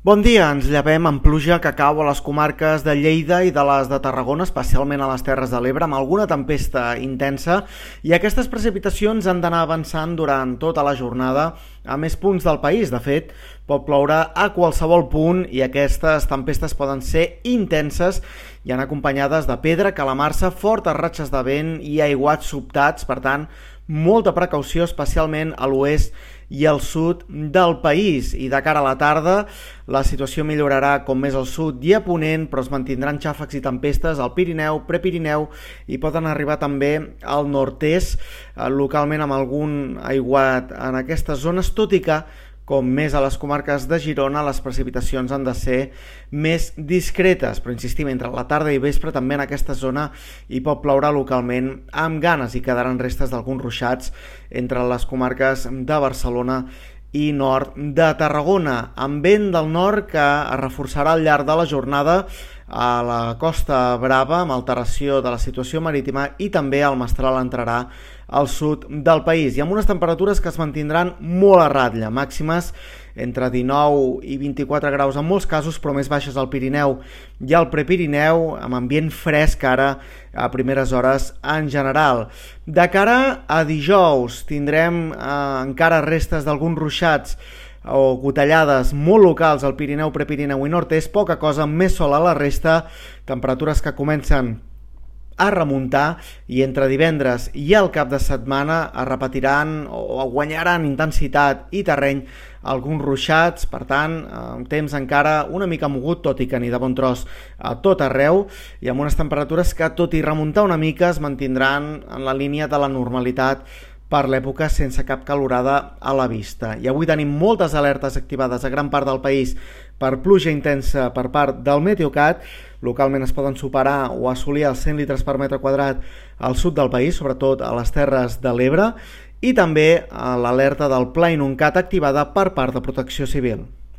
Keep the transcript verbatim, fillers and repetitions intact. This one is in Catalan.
Bon dia, ens llevem amb pluja que cau a les comarques de Lleida i de les de Tarragona, especialment a les Terres de l'Ebre, amb alguna tempesta intensa, i aquestes precipitacions han d'anar avançant durant tota la jornada a més punts del país. De fet, pot ploure a qualsevol punt i aquestes tempestes poden ser intenses i han acompanyades de pedra, calamarsa, fortes ratxes de vent i aiguats sobtats. Per tant, molta precaució, especialment a l'oest i al sud del país. I de cara a la tarda, la situació millorarà com més al sud i a ponent, però es mantindran xàfecs i tempestes al Pirineu, Prepirineu i poden arribar també al nord-est, localment amb algun aiguat en aquestes zones, tot i que com més a les comarques de Girona, les precipitacions han de ser més discretes, però insistim, entre la tarda i vespre també en aquesta zona hi pot ploure localment amb ganes i quedaran restes d'alguns ruixats entre les comarques de Barcelona i nord de Tarragona, amb vent del nord que es reforçarà al llarg de la jornada a la Costa Brava, amb alteració de la situació marítima, i també el mestral entrarà al sud del país, i amb unes temperatures que es mantindran molt a ratlla, màximes entre dinou i vint-i-quatre graus en molts casos, però més baixes al Pirineu i al Prepirineu, amb ambient fresc ara a primeres hores en general. De cara a dijous tindrem eh, encara restes d'alguns ruixats o gotellades molt locals al Pirineu, Prepirineu i nord-est, poca cosa, més sol a la resta, temperatures que comencen a remuntar, i entre divendres i el cap de setmana es repetiran o guanyaran intensitat i terreny alguns ruixats. Per tant, un temps encara una mica mogut, tot i que ni de bon tros a tot arreu, i amb unes temperatures que, tot i remuntar una mica, es mantindran en la línia de la normalitat per l'època, sense cap calorada a la vista. I avui tenim moltes alertes activades a gran part del país per pluja intensa per part del Meteocat. Localment es poden superar o assolir els cent litres per metre quadrat al sud del país, sobretot a les Terres de l'Ebre, i també l'alerta del Pla Inuncat activada per part de Protecció Civil.